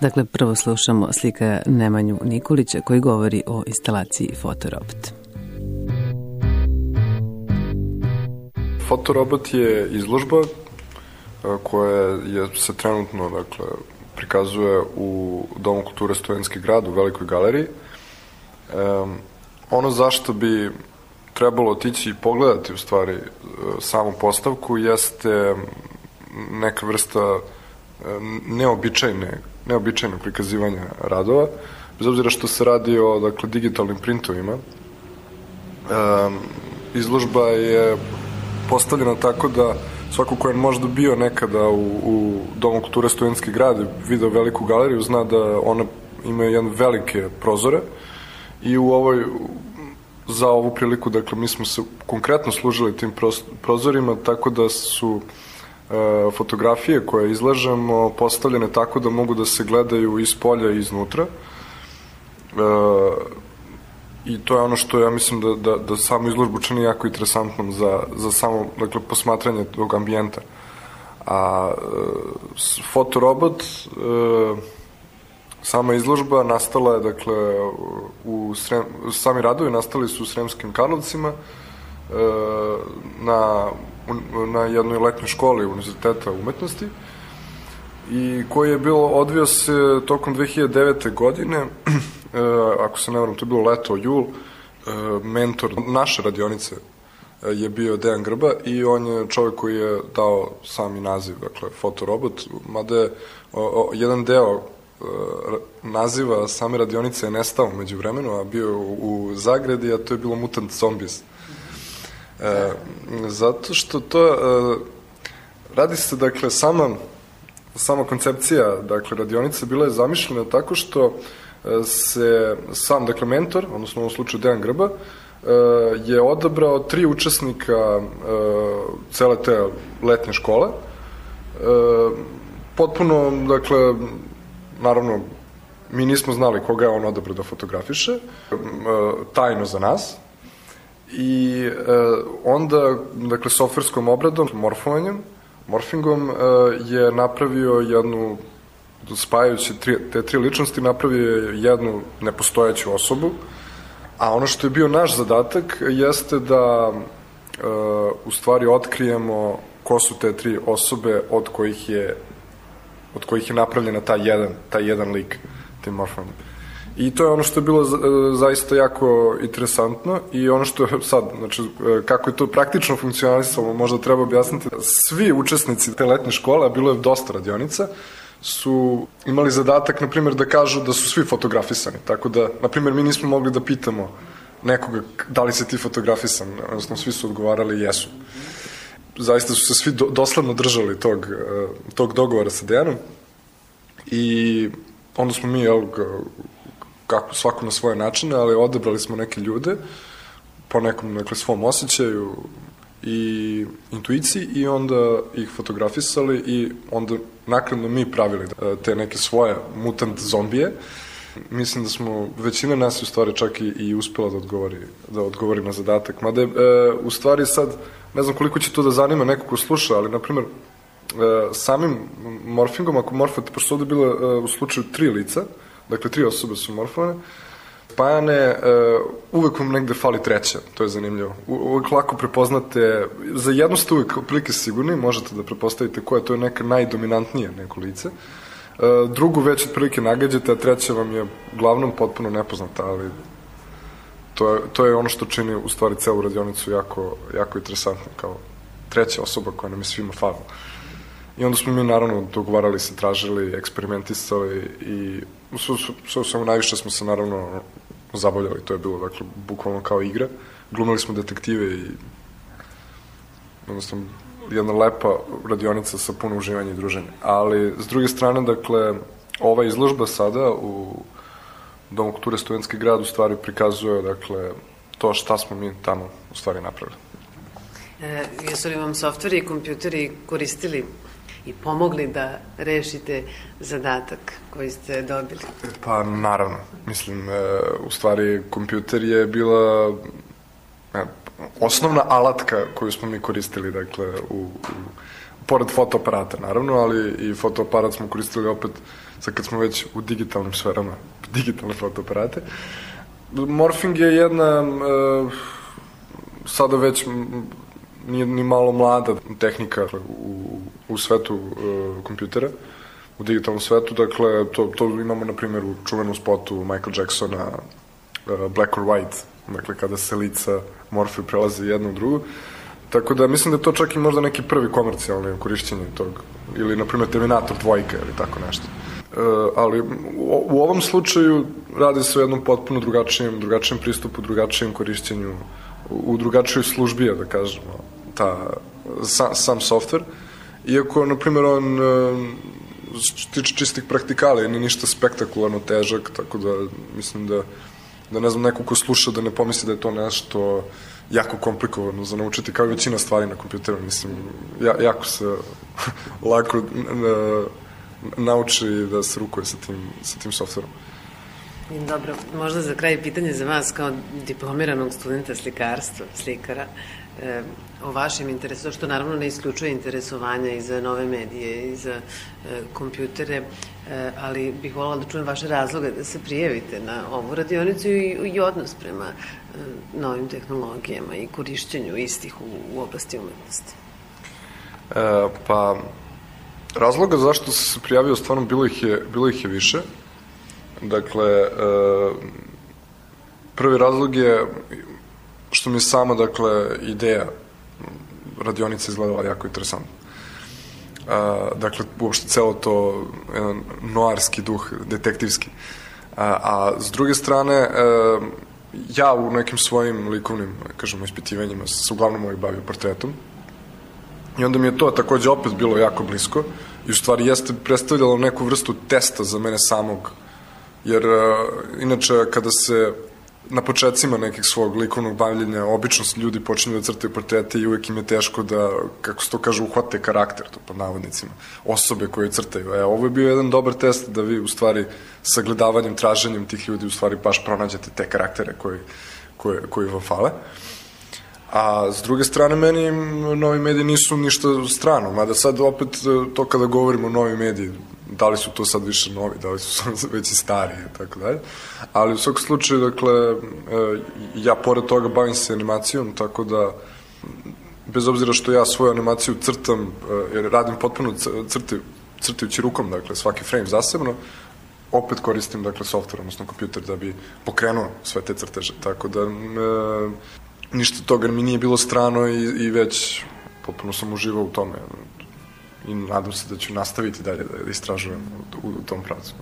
Dakle, prvo slušamo slika Nemanju Nikolića koji govori o instalaciji Fotorobot. Fotorobot je izložba koja se trenutno prikazuje u Domu kulture Studentski grad u Velikoj galeriji. Ono zašto bi trebalo otići i pogledati u stvari samu postavku jeste neka vrsta neobičajnog prikazivanja radova, bez obzira što se radi o digitalnim printovima. Izložba je postavljena tako da svako ko je možda bio nekada u Domu kulture Studentski grad i video Veliku galeriju zna da ona ima jedne velike prozore i za ovu priliku, mi smo se konkretno služili tim prozorima, tako da su fotografije koje izlažemo postavljene tako da mogu da se gledaju iz polja i iznutra. I to je ono što ja mislim da samu izložbu čini jako interesantnom za samo posmatranje tog ambijenta. A Fotorobot, sama izložba nastala je, sami radovi nastali su u Sremskim Karlovcima na jednoj letnjoj školi Univerziteta umetnosti i koji je odvio se tokom 2009. godine, ako se ne varam, to je bilo leto, jul. Mentor naše radionice je bio Dejan Grba i on je čovjek koji je dao sami naziv, Fotorobot, mada je jedan deo naziva same radionice je nestao među vremenu, a bio u zagradi, a to je bilo Mutant Zombies. Zato što to radi se, sama koncepcija radionice bila je zamišljena tako što se sam, mentor, odnosno u ovom slučaju Dejan Grba, je odabrao 3 učesnika cele te letnje škole. Potpuno, naravno, mi nismo znali koga je on odabrao da fotografiše, tajno za nas. I onda, softverskom obradom, morfingom, je napravio jednu, spajajući te 3 ličnosti, napravio je jednu nepostojeću osobu, a ono što je bio naš zadatak jeste da u stvari otkrijemo ko su te 3 osobe od kojih je napravljena taj jedan lik, tim morfingom. I to je ono što je bilo zaista jako interesantno i ono što je sad, kako je to praktično funkcionalisalo, možda treba objasniti. Svi učesnici te letnje škole, a bilo je dosta radionica, su imali zadatak, na primjer, da kažu da su svi fotografisani. Tako da, na primjer, mi nismo mogli da pitamo nekoga da li si ti fotografisan, odnosno svi su odgovarali jesu. Zaista su se svi dosledno držali tog dogovora sa Dejanom i onda smo mi, kako svako na svoje načine, ali odabrali smo neke ljude po nekom svom osjećaju i intuiciji i onda ih fotografisali i onda naknadno mi pravili te neke svoje mutant zombije. Mislim da smo, većina nas u stvari čak i uspela da odgovori na zadatak. Mada je, u stvari sad, ne znam koliko će to da zanima neko ko sluša, ali na primjer samim morfingom, ako morfate, pošto ovde je bilo u slučaju 3 lica, 3 osobe su morfovane, spajane, uvek vam negde fali 3, to je zanimljivo. Uvek lako prepoznate, za jednu ste uvek prilike sigurni, možete da prepostavite koja, to je neka najdominantnije neko lice. Drugu već otprilike nagađate, a 3 vam je uglavnom potpuno nepoznata, ali to je ono što čini u stvari celu radionicu jako interesantno, kao 3 osoba koja nam je svima falila. I onda smo mi naravno dogovarali se, tražili, eksperimentisali i samo najviše smo se naravno zabavljali, to je bilo bukvalno kao igra. Glumili smo detektive i jednostavno jedna lepa radionica sa puno uživanja i druženja. Ali s druge strane, ova izložba sada u Domu kulture Studentski grad u stvari prikazuje to šta smo mi tamo u stvari napravili. Jesu li vam softveri i kompjuteri koristili i pomogli da rešite zadatak koji ste dobili? Pa naravno, mislim, u stvari kompjuter je bila osnovna alatka koju smo mi koristili u pored fotoaparata naravno, ali i fotoaparat smo koristili opet sad kad smo već u digitalnim sferama, digitalne fotoaparate. Morfing je jedna sada već nije ni malo mlada tehnika u svetu kompjutera, u digitalnom svetu, dakle to imamo na primjer u čuvenom spotu Michael Jacksona Black or White, dakle kada se lica morfuju, prelaze jedno u drugo. Tako da mislim da je to čak i možda neki prvi komercijalni korišćenje tog, ili na primjer Terminator 2 ili tako nešto. Ali u ovom slučaju radi se o jednom potpuno drugačijem pristupu, drugačijem korišćenju, u drugačijoj službi, da kažemo, sam softver. Iako, na primjer, on tiče čistih praktikala, nije ništa spektakularno težak, tako da mislim da ne znam, neko ko sluša da ne pomisli da je to nešto jako komplikovano za naučiti, kao i većina stvari na kompjuteru. Mislim, jako se lako nauči da se rukuje sa tim softverom. Dobro, možda za kraj pitanje za vas kao diplomiranog studenta slikarstva, slikara, o vašem interesu, što naravno ne isključuje interesovanja i za nove medije i za kompjutere, ali bih voljela da čujem vaše razloge da se prijavite na ovu radionicu i odnos prema novim tehnologijama i korišćenju istih u oblasti umetnosti. Pa, razloga zašto sam se prijavio, stvarno bilo ih je više. Dakle, prvi razlog je što mi je sama, dakle, ideja radionice izgledala jako interesantno. Dakle, uopšte celo to jedan noarski duh, detektivski. A s druge strane, ja u nekim svojim likovnim, kažemo, ispitivanjima se uglavnom uvijek bavio portretom. I onda mi je to takođe opet bilo jako blisko i u stvari jeste predstavljalo neku vrstu testa za mene samog. Jer, inače, kada se na početcima nekih svog likovnog bavljenja obično ljudi počinju da crtaju portrete i uvek im je teško da, kako se to kaže, uhvate karakter, to pod navodnicima, osobe koje crtaju. Ovo je bio jedan dobar test da vi u stvari sagledavanjem, traženjem tih ljudi u stvari baš pronađete te karaktere koji vam fale. A s druge strane, meni novi mediji nisu ništa strano, mada sad opet to kada govorimo o novi mediji, da li su to sad više novi, da li su već i stariji i tako dalje. Ali u svakom slučaju, dakle, ja pored toga bavim se animacijom, tako da, bez obzira što ja svoju animaciju crtam, jer radim potpuno crtajući rukom, dakle, svaki frame zasebno, opet koristim, dakle, software, odnosno kompjuter, da bi pokrenuo sve te crteže. Tako da, ništa toga mi nije bilo strano i već potpuno sam uživao u tome. I nadam se da ću nastaviti dalje da istražujem u tom pravcu.